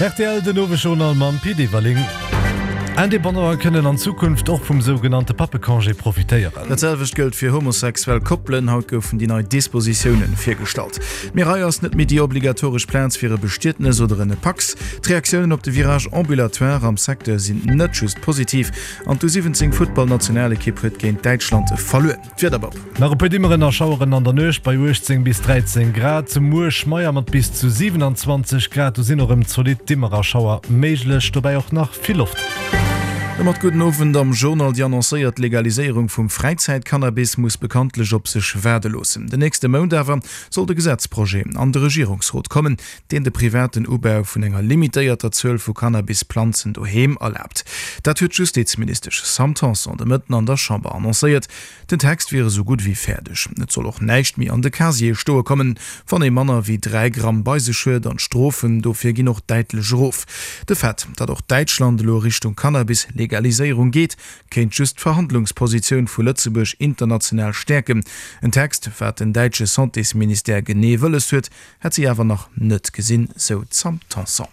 Rtl, Den Owesjournal mam Pit Everling. Indépendanten kënnen an Zukunft och vum sougenannte Pappecongé profitéieren. Dat selwecht gëllt fir homosexuell Koppelen. Haut goufen déi nei Dispositiounen virgestallt. D'Mirail ass net méi déi obligatoresch Plaz fir e Bestietnes oder en Pacs. D'Reaktiounen op de Virage ambulatoire am Secteur sinn net just positiv an d'U 17 Futtballnationalekipp huet géint Däitschland verluer. D'Wieder, Bob. Nach e puer Dimmeren a Schaueren an der Nuecht bei 18 bis 13 Grad. Muer schmeier mat bis zu 27 Grad, do sinn och erëm zolidd Dimmer a Schauer méiglech, dobäi och nach vill Loft. Domat gudden Owend am Journal. Déi annoncéiert Legaliséierung vum Fräizäitcannabis muss bekanntlech op sech waarde loossen. Den nächste Mount awer soll de Gesetzprojet an de Regierungsrot kommen, deen de privaten Ubau vun enger limitéierter Zuel vu Cannabisplanzen doheem erlaabt. Dat huet d'Justizministesch Sam Tanson de Mëtten an der Chamber annoncéiert. Den Text wier esou gutt ewéi fäerdeg. Et soll och näischt méi an de Casier stoe kommen, wann ee manner wéi 3 Gramm bei sech huet an d'Strofen dofir ginn och däitlech erof. De Fait, datt och Däitschland elo Richtung Cannabis-Legaliséierung geet, kéint just d'Verhandlungspositioun vu Lëtzebuerg international stäerken. En Text, wat den däitsche Santésministère genee wëlles huet, hätt si awer nach net gesinn, sou d'Sam Tanson.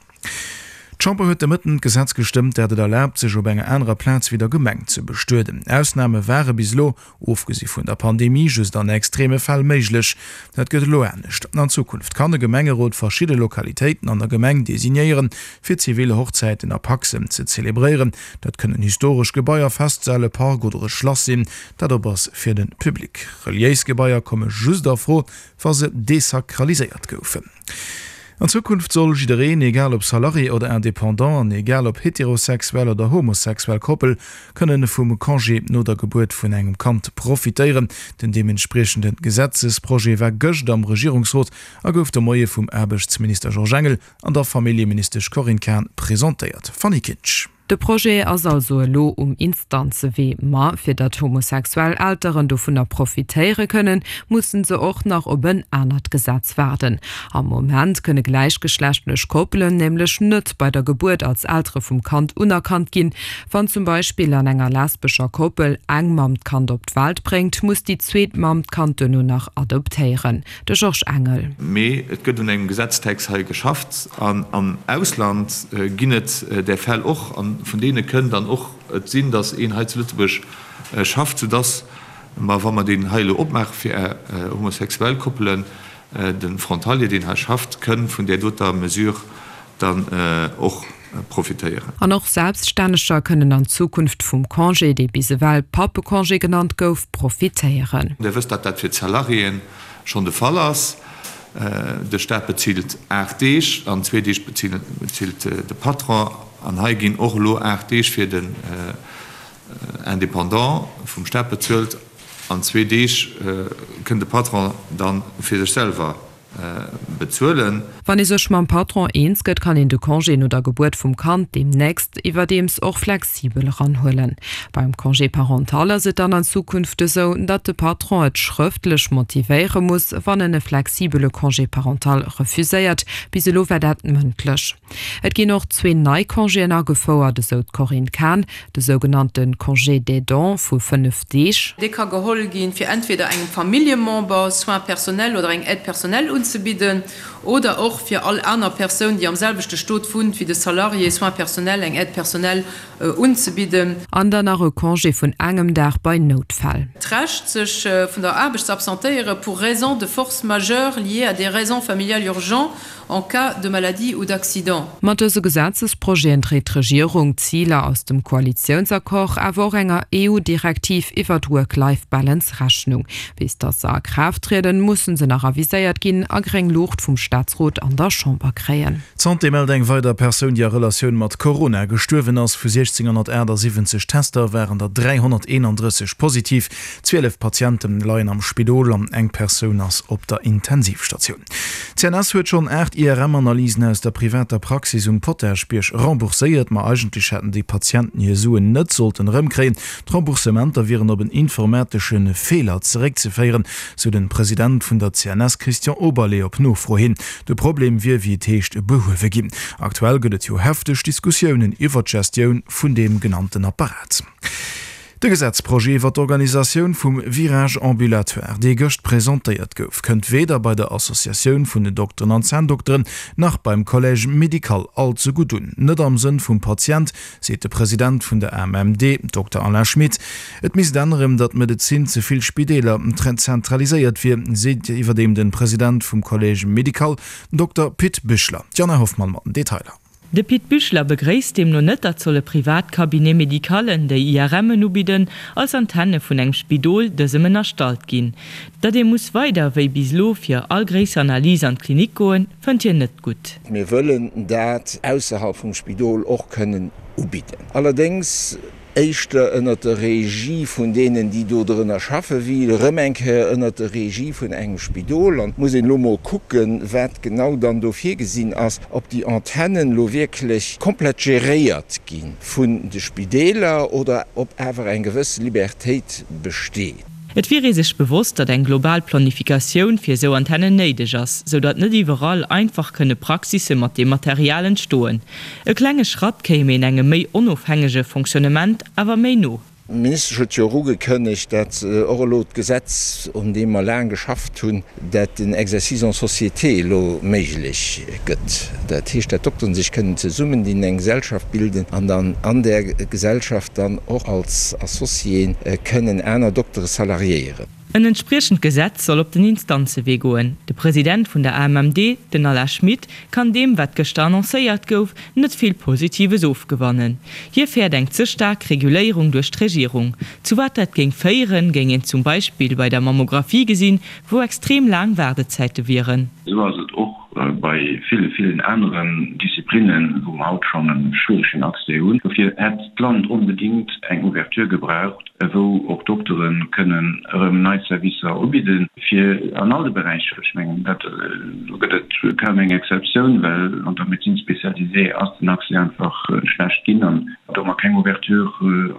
D'Chamber huet de Mëtten d'Gesetz gestëmmt, dat et erlaabt, sech op enger anerer Plaz wéi der Gemeng ze bestueden. Ausname ware bis elo, ofgesi vun der Pandemie, just an extreme Fäll méiglech. Dat gëtt elo anescht. An Zukunft kann e Gemengerot verschidde Lokalitéiten an der Gemeng designéieren, fir zivil Hochzäiten a Pacsen ze zelebréieren. Dat kënnen historesch Gebaier, Festsäll, e Park oder e Schlass sinn, dat op ass fir de Public. Reliéis Gebaier komme just a Fro, wa se desakraliséiert goufen. An Zukunft soll jiddereen, egal ob Salarié oder Indépendant an egal ob heterosexuell oder homosexuell Koppel, kënnen vum Congé no der Gebuert vun engem Kand profitéieren. Den deementspriechende Gesetzesprojet war gëscht am Regierungsrot a gouf de Moie vum Aarbechtsminister Georges Engel an der Familljeministesch Corinne Cahen presentéiert. Fanny Kinsch. De Projet ass also elo um Instanzewee. Ma fir datt homosexuell Elteren dovunner profitéiere kënnen, mussen se och nach op en anert Gesetz waarden. Am Moment kënne gläichgeschlechtlech Koppelen nämlech net bei der Gebuert als Eltere vum Kand unerkannt ginn. Wann zum Beispill an enger lesbescher Koppel eng Mamm d'Kand op d'Welt bréngt, muss déi zweet Mamm d'Kand duerno nach adoptéieren. De Georges Engel. Mee et gëtt un engem Gesetztext hei geschafft an am Ausland ginn et där Fäll och an vun deene kënn dann och et sinn, datt een hei zu Lëtzebuerg schafft, soudatt mer, wa mer deen hei elo opmaache fir homosexuell Koppelen, de Frontalier, deen hei schafft, kënn vun där doter Mesure dann och profitéieren. An och Selbststänneger kënnen an Zukunft vum Congé, dee bis ewell Pappecongé genannt gouf, profitéieren. Dir wësst, datt dat fir d'Salariéen schonn de Fall ass. De Staat bezilt 8 Deeg an zwee Deeg bezilt de Patron. An hei ginn och elo 8 Deeg fir den Indépendant vum Staat bezuelt an zwee Deeg kënn de Patron da fir sech selwer bezuelen. Wann ee sech mam Patron eens gëtt, kann een de Congé no der Gebuert vum Kand deemnächst iwwerdeems och flexibel eranhuelen. Beim Congé parental ass et dann an Zukunft esou, datt de Patron et schrëftlech motivéiere muss, wann en e flexibele Congé parental refuséiert. Bis elo war dat mëndlech. Et ginn och zwee nei Congéen agefouert, esou d'Corinne Cahen, de sougenannte Congé d'aidant vu 5 Deeg. Dee ka geholl ginn, fir entweder engem Familljemember Soins personnels oder eng Aide personnelle unzebidden oder och fir all aner Persoun, déi am selwechte Stot wunnt wéi de Salarié, Soins personnels, eng Aide personnelle unzebidden. An dann nach e Congé vun engem Dag bei Noutfäll. D'Recht, sech vun der Aarbecht ze absentéiere pour raisons de force majeure liées à des raisons familiales urgentes En cas de maladie ou d'accident. Mat dëse Gesetzesprojeten dréit d'Regierung d'Ziler aus dem Koalitiounsaccord, awer och enger EU-Direktiv iwwer d'Work-Life-Balance Rechnung. Bis datt se a Kraaft trieden, musse se nach aviséiert ginn a gréng Luucht vum Staatsrot an der Chamber kréien. D'Santé mellt eng weider Persoun, déi a Relatioun mat Corona gestuerwen ass. Vu 1678 Tester waren der 331 positiv. 12 Patiente leien am Spidol an eng Persoun ass op der Intensivstatioun. D'CNS huet schonn 8 IRM-Analysen aus der privater Praxis um Potaschbierg rembourséiert. Ma eigentlech hätten déi Patienten hir Suen net sollten erëmkréien. D'Remboursementer wieren op en informatesche Feeler zeréckzeféieren, sou den President vun der CNS Christian Oberlé op Nofro hin. De Problem wier, wéi et heescht, behuewe ginn. Aktuell gëtt et jo hefteg Diskussiounen iwwer d'Gestioun vun deem genannten Apparat. De Gesetzprojet iwwer d'Organisatioun vum Virage ambulatoire, dee gëscht presentéiert gouf, kënnt weder bei der Associatioun vun den Dokteren an Zänndokteren nach beim Collège médical all ze gutt un. Net am Sënn vum Patient, seet de President vun der AMMD, Dokter Alain Schmit. Et misst änneren, datt d'Medezin ze vill Spideeler zentraliséiert wier, seet iwwerdeem de President vum Collège médical, Dokter Pit Büchler. D'Jana Hoffmann mat den Detailer. De Pit Büchler begréisst deemno net, datt solle privat Cabinet-médicalen, déi IRMen ubidden, als Antenne vun engem Spidol dësem ënnerstallt ginn. Datt ee muss weider wéi bis elo fir all gréisser Analys an d'Klinik goen, fënnt hien net gutt. Mir wëllen dat ausserhalb vum Spidol och kënnen ubidden. Allerdéngs éischter ënnert der Regie vun deenen, déi do drënner schaffen, wéi erëm eng Kéier ënnert der Regie vun engem Spidol. An et muss een elo mol kucken, wat genau dann do virgesinn ass, ob déi Antennen elo wierklech komplett geréiert gi vun de Spideeler oder ob awer eng gewëss Libertéit besteet. Et wier ee sech bewosst, datt eng global Planifikatioun fir esou Antennen néideg ass, sou datt net iwwerall einfach kënne Praxisse mat deem Material entstoen. E klenge Schratt kéim een engem méi onofhängege Fonctionnement awer méi no. D'Ministesch huet jo och ugekënnegt, dat och elo d'Gesetz, un deem mer laang geschafft hunn, dat den Exercice en société elo méiglech gëtt. Dat heescht, dat d'Dokteren sech kënnen zesummendinn, eng Gesellschaft bilden an dann an där Gesellschaft dann och als Associéen kënnen aner Doktere salariéieren. En entspriechend Gesetz soll op den Instanzewee goen. De President vun der AMMD, den Alain Schmit, kann deem, wat gëschter annoncéiert gouf, net vill Positives ofgewannen. Hie fäert eng ze staark Reguléierung duerch d'Regierung. Zu wat dat géing féieren, géing een zum Beispill bei der Mammographie gesinn, wou extrem laang Waardezäite wieren. Esou ass et och bei ville, villen aneren Disziplinnen, wou mer haut schonn e schwieregen Accès hunn. Dofir hätt d'Land onbedéngt eng Ouverture gebraucht, wou och Doktere kënnen erëm nei Servicer ubidden, fir an all de Beräicher. Ech mengen, dat, do gëtt et kaum eng Exceptioun, well an der Médecine spécialisée ass den Accès einfach schlecht ginn an do mer keng Ouverture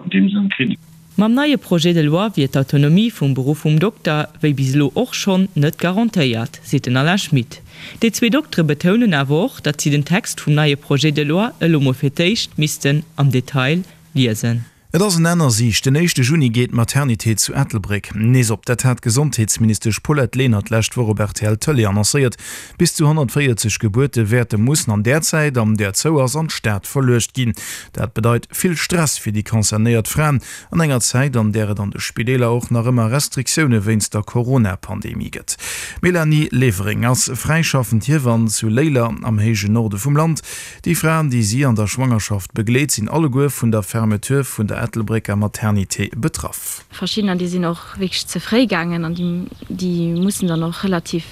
an deem Sënn kritt. Mam neie Projet de loi wier d'Autonomie vum Beruff vum Dokter, wéi bis elo och schonn, net garantéiert, seet den Alain Schmit. Déi zwee Doktere betounen awer och, datt si den Text vum neie Projet de loi elo mol fir d'éischt missten am Detail liesen. Et ass en Enn a Siicht, Den éischte Juni geet d'Maternité zu Ettelbréck nees op. Dat hat d'Gesondheetsministesch Paulette Lenert d'lescht Woch op rtl Tëlee annoncéiert. Bis zu 140 Gebuerte wäerte mussen an där Zäit, an där zou ass, an d'Stad verluecht ginn. Dat bedeit vill Stress fir déi concernéiert Fraen, an enger Zäit, an där et an de Spideeler och nach ëmmer Restriktioune wéinst der Corona-Pandemie gëtt. D'Mélanie Levering ass fräischaffend Hiewann zu Léiler am héijen Norde vum Land. Déi Fraen, déi si an der Schwangerschaft begleet, sinn alleguer vun der Fermeture vun der Ettelbrécker Maternité betraff. Verschiddener, déi sinn och wierklech ze fréi gaangen an déi mussen dann och relativ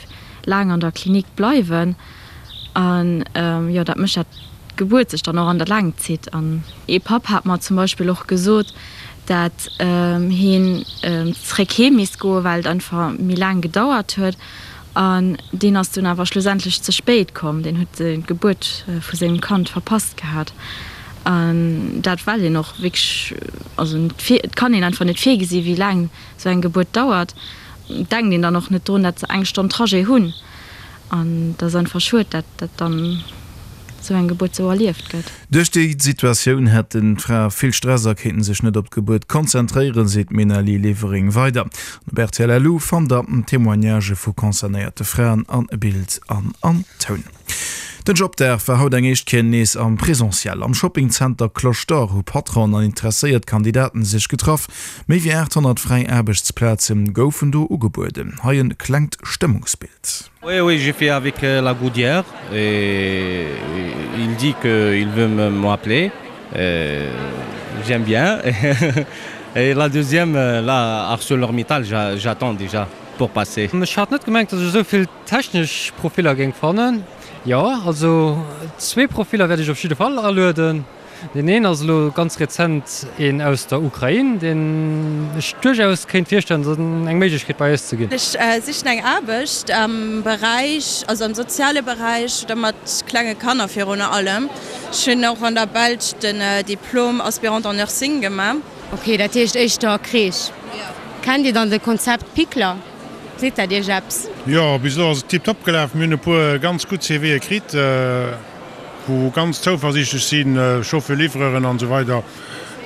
laang an der Klinik bleiwen an jo dat mécht dat d'Gebuert sech dann och an der Längt zitt. An ee Papp hat mer zum Beispill och gesot, dat heen zréck heem misst goen, well et einfach méi laang gedauert huet an deen ass dunn awer schlussendlech ze spéit komm, deen huet d'Gebuert vu sengem Kand verpasst gehat an dat well een och wierklech, also et kann een einfach net virgesi wéi laang Sou eng Gebuert dauert, denkt een dann och net drun, dat se eng Stonn Trajet hunn. An et ass einfach schued, dat dat dann sou eng Gebuert sou erlieft gëtt. Duerch déi Situatioun hätten d'Frae vill Stress a kéinten sech net op d'Gebuert konzentréieren, seet d'Ménalie Levering weider. An op rtl LU fannt der Témoignagë vu concernéierte Fraen a Bild an an Toun. Den Jobdag war haut eng éischt Kéier nees am Presentiel. Am Shoppingzenter Cloche d'Or hu Patronen an interesséiert Kandidaten sech getraff. Méi wéi 800 fräi Aarbechtsplaze goufen do ugebueden. Hei en klengt Stëmmungsbild. Oui oui j'ai fait avec la Goudière et il dit que il veut m'appeler j'aime bien et la deuxième là ArcelorMittal j'attends déjà pour passer. Ech hat net gemengt dass ech esou vill Technesch Profiller géing fannen, jo. Also zwee Profiller wäert ech op jidde Fall alueden. Deen een ass elo ganz rezent een aus der Ukrain, deen ech duerchaus kéint virstellen, eng Méiglechkeet bei eis ze ginn. Ech sichen eng Aarbecht am Beräich, also am soziale Beräich oder mat klenge Kanner virun allem. Ech hunn och an der Belsch den Diplom Aspirante en Nursing gemaach. Ok, dat heescht éischter Crèche. Kennt Dir dann de Konzept Pickler? Seet dat Iech eppes? Jo, bis elo ass et tiptop gelaf. Mir hunn e puer ganz gutt CVe kritt, wou ganz zouversiichtlech sinn, Chauffeur-livreuren an esou weider.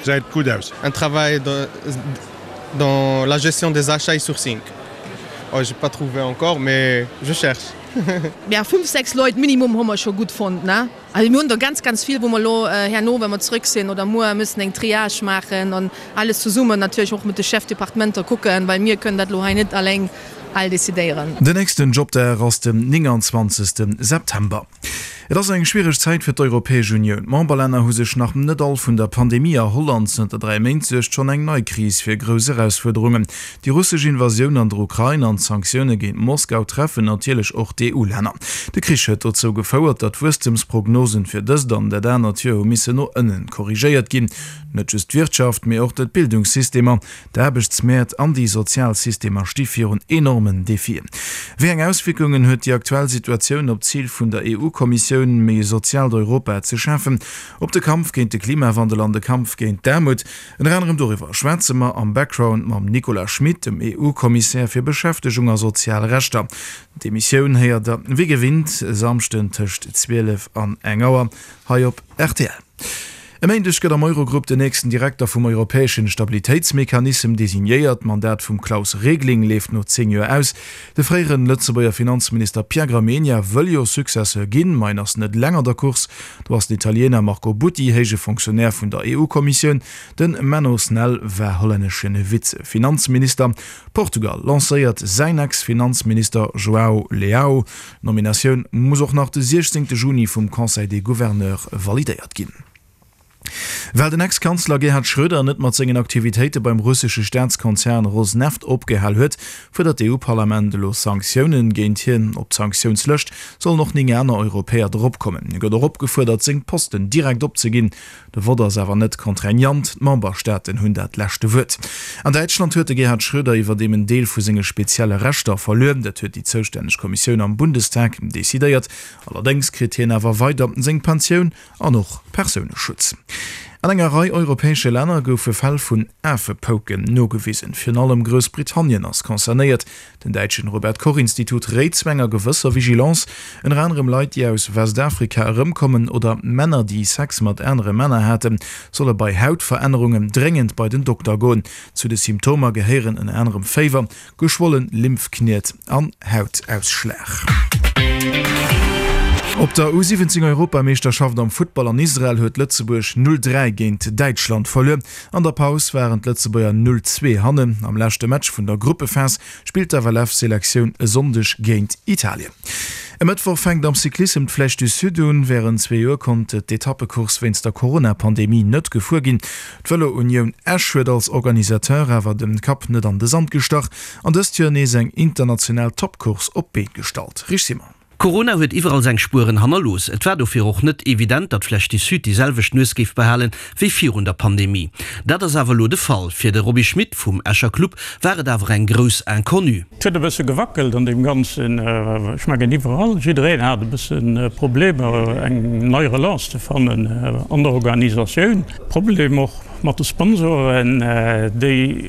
Gesäit gutt aus. Un travail dans la gestion des achats et sourcing. Oh j'ai pas trouvé encore mais je cherche. Mä 5, 6 Leit minimum hu mer scho gutt fonnt, ne? Also mir hunn der ganz, ganz vill, wou mer elo herno, wa mer zrëck sinn oder muer, müssen eng Triage maachen an alles zesummen natierlech och mat de Chefdepartementer kucken, well mir kënnen dat elo hei net alleng all decidéieren. Den nächsten Jobdag ass den 29 September. Et ass eng schwiereg Zäit fir d'Europäesch Unioun. D'Memberlänner hu sech nach net all vun der Pandemie erholl an zënter 3 Méint suergt schonn eng nei Kris fir grouss Erausfuerderungen. Déi russesch Invasioun an der Ukrain an d'Sanktioune géint Moskau treffen natierlech och d'EU-Länner. De Krich huet dozou gefouert, datt d'Wuesstemsprognosen fir dëst an dat anert Joer hu missen no ënnen korrigéiert ginn. Net just d'Wirtschaft, mee och d'Bildungssystemer, d'Aarbechtsmäert an déi sozial Systemer sti virun enormen Defien. Wéi eng Auswierkungen huet déi aktuell Situatioun op d'Zil vun der EU-Kommissioun, méi e soziaalt Europa ze schafen, op de Kampf géint de Klimawandel an de Kampf géint d'Aarmut? Ënner anerem doriwwer schwätze mer am Background mam Nicolas Schmit, dem EU-Kommissär fir Beschäftegung a sozial Rechter. D'Emissioun héiert der wéi gewinnt e Samschden tëscht 12 an eng Auer hei op rtl. E Méindeg gëtt am Eurogrupp den nächsten Direkter vum europäeschen Stabilitéitsmechanissem designéiert. D'Mandat vum Klaus Regling leeft no 10 Joer aus. De fréieren Lëtzebuerger Finanzminister Pierre Gramegna wëll jo Successeur ginn, ma en ass net eleng an der Course. Do ass den Italiener Marco Butti héije Fonctionnaire vun der EU-Kommissioun. Den Menno Snell war hollännesche Vize-Finanzminister. Portugal lancéiert säin Ex-Finanzminister Joao Leao. D'Nominatioun muss och nach de 16 Juni vum Conseil des Gouverneurs validéiert ginn. Well den Ex-Kanzler Gerhard Schröder net mat sengen Aktivitéite beim russesche Staatskonzern Rosneft opgehal huet, fuerdert d'EU-Parlament elo Sanktiounen géint hien. Op d'Sanktiounslëscht sollen och 9 aner Europäer dropkommen. Hie gëtt och opgefuerdert, seng Posten direkt opzeginn. De Vott ass awer net contraignant, d'Memberstaaten hunn dat leschte Wuert. An Däitschland huet de Gerhard Schröder iwwerdeem en Deel vu senge spezielle Rechter verluer. Dat huet déi zoustänneg Kommissioun am Bundestag decidéiert. Allerdéngs kritt hien awer weider seng Pensioun an och Persouneschutz. An enger Rei europäesche Länner goufe Fäll vun Afepouken nogewisen. Virun allem Groussbritannien ass concernéiert. Den däitschen Robert Koch Institut réit zu enger gewësser Vigilance, ënner anerem Leit déi aus Westafrika erëmkommen oder Männer déi Sex mat anere Männer haten, solle bei Hautverännerungen dréngend bei den Dokter goen. Zu de Symptomer gehéieren ënner anerem Féiwer, geschwollen Lymphkniet an Hautausschlag. Op der U 17 Europameeschterschaft am Futtball an Israel huet Lëtzebuerg 0, 3 géint Däitschland verluer. An der Paus waren d'Lëtzebuerger 0, 2 hannen. Am leschte Match vun der Gruppephas spillt d'FLF-Selektioun e Sonndeg géint Italien. E Mëttwoch fänkt am Cyclissem d'Flèche du Sud un. Wärend zwee Joer konnt d'Etappecourse wéinst der Corona-Pandemie net gefuer ginn. D'Vëlo-Unioun Esch huet als Organisateur awer de Kapp net an de Sand gestach an dëst Joer nees eng international Toppcourse op d'Been gestallt. Rich Simon. Corona huet iwwerall seng Spueren hannerlooss. Et war dofir och net evident, datt Flèche du Sud déi selwecht Nues géif behalen, wéi virun der Pandemie. Dat ass awer elo de Fall. Fir de Roby Schmit vum Escher Club war et awer eng grouss Inconnue. Et huet e bësse gewackelt an deem Ganzen. Ech mengen iwwerall, jiddereen hat e bësse Problemer eng nei Relance ze fannen an der Organisatioun. Problem och mat de Sponsoren, déi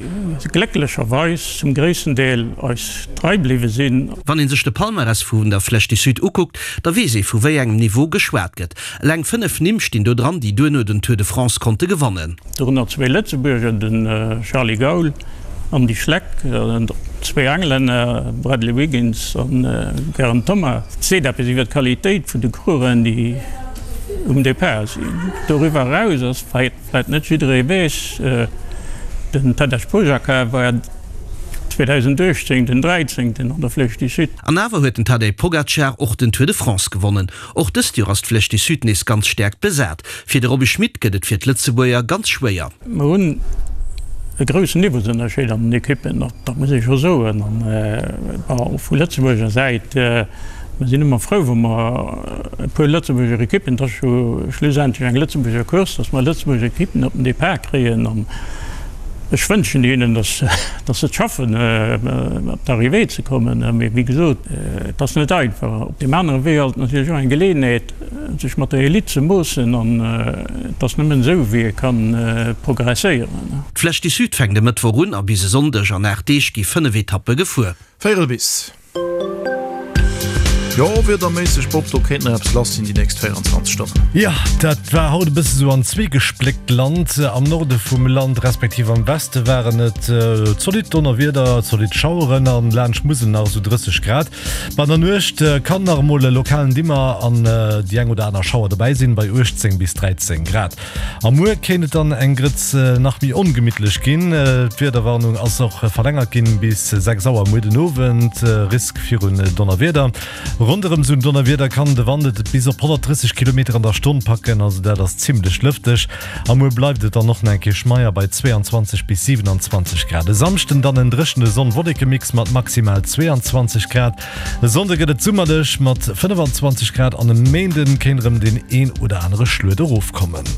glécklecherweis zum gréissten Deel eis trei bliwwe sinn. Wann ee sech de Palmarès vun der Flèche du Sud ukuckt, da weess ee vu wéi engem Niveau geschwat gëtt. Eleng 5 Nimm stinn do dran, déi duerno den Tour de France konnte gewannen. Dorënner zwee Lëtzebuerger, den Charly Gaul an Andy Schleck, zwee Englänner, Bradley Wiggins an Geraint Thomas. Et seet eppes iwwer d'Qualitéit vun de Coureuren, déi um Depart sinn. Doriwwer eraus ass, wat vläit net jidderee weess, den Tadej Pogacar war 2018 den Dräizéngten an der Flèche du Sud. An awer huet den Tadej Pogacar och den Tour de France gewonnen. Och dëst Joer ass d'Flèche du Sud nees ganz staark besat. Fir de Roby Schmit gëtt et fir d'Lëtzebuerger ganz schwéier. Mer hunn e groussen Niveausënnerscheed an den Ekippen, dat muss ee scho soen. An bon, vu Lëtzebuerger Säit, mer sinn ëmmer frou, wa mer e puer Lëtzebuerger Ekippen, et ass jo schlussendlech eng Lëtzebuerger Course, datt mer Lëtzebuerger Ekippen op den Depart kréien. An ech wënschen hinnen, datt se et schaffen, op d'Arrivée ze kommen. Mee wéi gesot, et ass net einfach. Op deem anere Wee ass et natierlech och eng Geleeënheet, sech mat der Elite ze moossen an et ass nëmmen esou wéi ee kann progresséieren. D'Flèche du Sud fänkt e Mëttwoch un a bis e Sonndeg. An 8 Deeg gi 5 Etappe gefuer. Véierel bis. Jo, wiederméisseg, Bob, do kéint nach eppes lass sinn déi nächst 24 Stonnen. Jo, dat war haut e bësse sou an zwee gespléckt Land. Am Norde vum Land, respektiv am Weste waren et zolidd Donnerwieder, zolidd Schaueren an laanscht Musel nach esou 30 Grad. Ma an der Nuecht kann nach emol e lokalen Dimmer an déi eng oder aner Schauer dobäi sinn, bei 18 bis 13 Grad. A muer kéint et dann eng Grëtz nach méi ongemittlech ginn. D'Wiederwarnung ass och verlängert ginn bis 6 Auer muer den Owend. Risk virun Donnerwieder. Ronderëm sou en Donnerwieder kann de Wand et bis op 130 Kilometer an der Stonn packen, also dat ass zimmlech lëfteg. A muer bleift et dann och nach eng Kéier schmeier bei 22 bis 27 Grad. E Samschden dann en dréchene Sonn-Wolleke-Mix mat maximal 22 Grad. E Sonnde gëtt et summerlech mat 25 Grad an e Méinden kéint erëm deen een oder anere Schluet erofkommen.